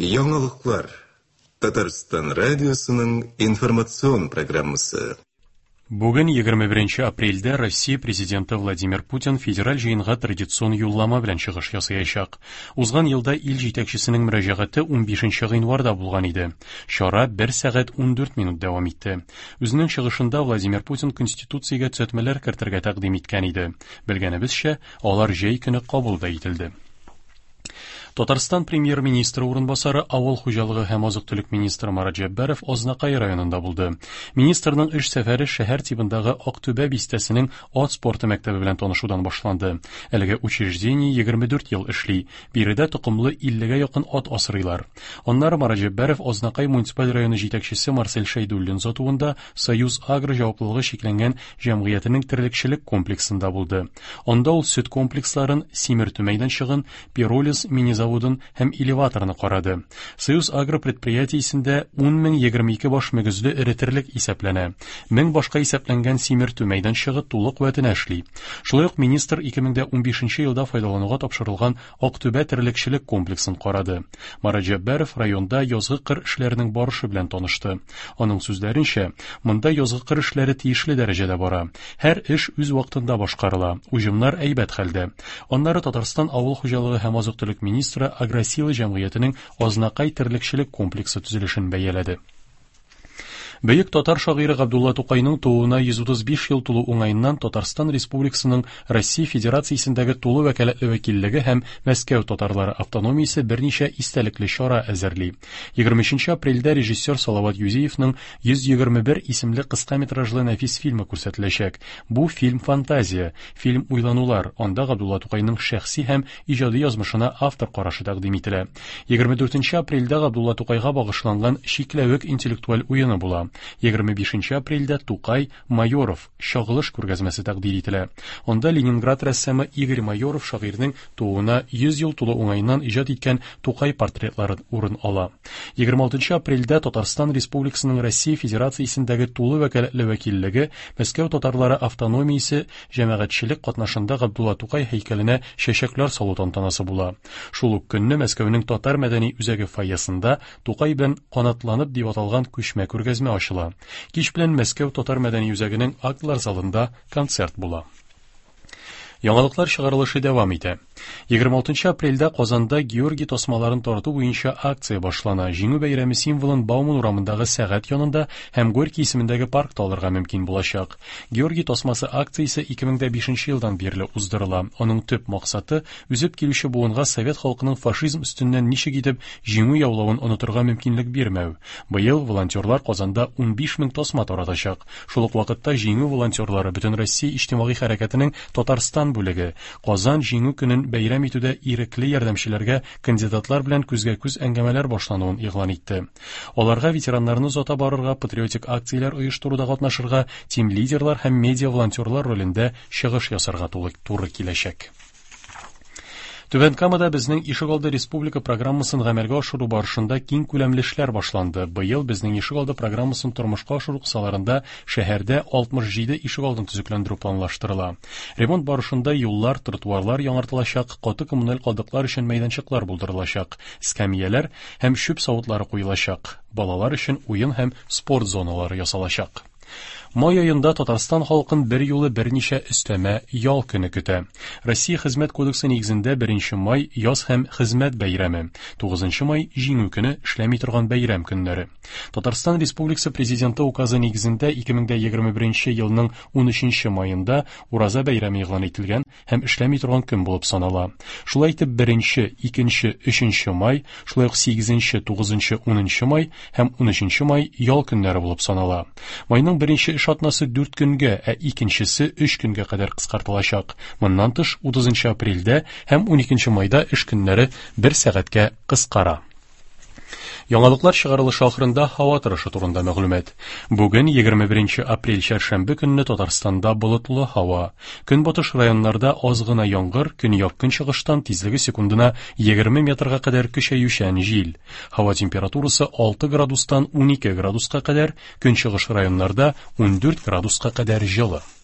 Яңалыклар. Татарстан радиосының информацион программасы. Бүген 21 апрельдә Россия Президенты Владимир Путин федераль җыенга традицион юллама белән чыгыш ясаячак. Узган елда ил җитәкчесенең мөрәҗәгате 15 гыйнварда булган иде. Чара 1 сәгать 14 минут дәвам итте. Үзенең чыгышында Владимир Путин Конституциягә төзәтмәләр кертергә тәкъдим иткән иде. Белгәнебезчә, алар җәй көне кабул да ителде. Татарстан премьер-министры урынбасары, авыл хуҗалыгы һәм азык-төлек министры Марат Җәббаров Азнакай районында булды. Министрның эш сәфәре шәһәр тибындагы Актүбә бистәсенең ат спорты мәктәбе белән танышудан башланды. Әлеге учреждение 24 ел эшли. Биредә токымлы 50-гә якын ат асрыйлар. Аннары Марат Җәббаров Азнакай муниципаль районы җитәкчесе Марсель Шәйдуллин озатуында Союз Агро җаваплылыгы чикләнгән җәмгыятенең терлекчелек комплексында булды. Анда ул сөт комплексларын, симертү мәйданчыгын, пиролиз мини-заводын һәм элеваторны карады. Союз Агро предприятиесендә 10 022 баш мөгезле эре терлек исәпләнә. 1000 башка исәпләнгән симертү мәйданчыгы тулы куәтенә эшли. Шулай ук министр 2015 елда файдалануга тапшырылган Актүбә терлекчелек комплексын карады. Марат Җәббаров районда язгы кыр эшләренең барышы белән танышты. Аның сүзләренчә, монда язгы кыр эшләре тиешле дәрәҗәдә бара. Һәр эш үз вакытында башкарыла, уҗымнар әйбәт хәлдә. Аннары Татарстан авыл хуҗалыгы һәм азык-төлек министры Агросила җәмгыятенең Азнакай терлекчелек комплексы төзелешен бәяләде. Бөек татар шагыйре Габдулла Тукайның тууына 135 ел тулу уңаеннан Татарстан Республикасының Россия Федерациясендәге тулы вәкаләтле вәкиллеге һәм Мәскәү татарлары автономиясе берничә истәлекле чара әзерли. 23 апрельдә режиссер Салават Юзиевның 121 исемле кыска метражлы нәфис фильмы күрсәтеләчәк. Бу фильм фантазия, фильм уйланулар, анда Габдулла Тукайның шәхси һәм иҗади язмышына автор карашы тәкъдим ителә. 24 апрельдә Габдулла Тукайга багышланган Чикләвек интеллектуаль уены була. 25 апрельдә Тукай Майоров чагылыш күргәзмәсе тәкъдир ителә. Анда Ленинград рәссамы Игорь Майоров шагыйрьнең тууына 100 ел тулу уңаеннан иҗат иткән Тукай портретлары урын ала. 26 апрельдә Татарстан Республикасының Россия Федерациясендәге тулы вәкаләтле вәкиллеге Мәскәү татарлары автономиясе җәмәгатьчелек катнашында Габдулла Тукай һәйкәленә чәчәкләр салу тантанасы була. Шул ук көнне Мәскәүнең татар мәдәни үзәге фойесында Тукай белән канатланып дип аталган күчмә күргәзмә ачыла. Кич белән Мәскәү татар мәдәни үзәгенең актлар залында концерт була. Яңалыклар чыгарылышы дәвам итә. 26 апрельдә Казанда Георгий тасмаларын тарату буенча акция башлана. Җиңү бәйрәме символын Бауман урамындагы сәгать янында һәм Горький исемендәге паркта алырга мөмкин булачак. Георгий тасмасы акциясе 2005 елдан бирле уздырыла. Аның төп максаты үсеп килүче буынга совет халкының фашизм өстеннән ничек итеп җиңү яулавын онытырга мөмкинлек бирмәү. Быел волонтерлар Казанда 15 мең тасма таратачак. Шул ук вакытта Җиңү волонтерлары Бөтенроссия иҗтимагый хәрәкәтенең Татарстан бүлеге Казан Җиңү көнен бәйрәм итүдә ирекле ярдәмчеләргә кандидатлар белән күзгә-күз әңгәмәләр башлануын игълан итте. Аларга ветераннарны озата барырга, патриотик акцияләр оештыруда катнашырга, тим-лидерлар һәм медиа-волонтерлар ролендә чыгыш ясарга туры киләчәк. Түбән Камада Безнең ишегалды республика программасын гамәлгә ашыру барышында киң күләмле эшләр башланды. Быел Безнең ишегалды программасын тормышка ашыру кысаларында шәһәрдә 67 ишегалдын төзекләндерү планлаштырыла. Ремонт барышында юллар, тротуарлар яңартылачак, каты коммуналь калдыклар өчен мәйданчыклар булдырылачак, скамияләр һәм чүп савытлары куелачак, балалар өчен уен һәм спорт зоналары ясалачак. Май аенда Татарстан халкын бер юлы берничә өстәмә ял көне көтә. Россия Хезмәт кодексы нигезендә 1 май яз һәм хезмәт бәйрәме, 9 май Җиңү көне эшләми торган бәйрәм көннәре. Татарстан Республикасы Президенты указы нигезендә 2021 елның 13 маенда Ураза бәйрәме игълан ителгән һәм эшләми торган көн булып санала. Шулай итеп, 1, 2, 3 май, шулай ук 8, 9, 10 май һәм 13 май ял көннәре булып санала. Майның беренче эш атнасы 4 көнгә, ә икенчесе 3 көнгә кадәр кыскартылачак. Моннан тыш, 30 апрельдә һәм 12 майда эш көннәре бер сәгатькә кыскара. Яңалыклар чыгарылышы ахырында һава торышы турында мәгълүмат. Бүген 21 апрель чәршәмбе көнне Татарстанда болытлы һава. Көнбатыш районнарда аз гына яңгыр, көньяк-көнчыгыштан тизлеге секундына 20 метрга кадәр көчәючән җил. Һава температурасы 6 градустан 12 градуска кадәр, көнчыгыш районнарда 14 градуска кадәр җылы.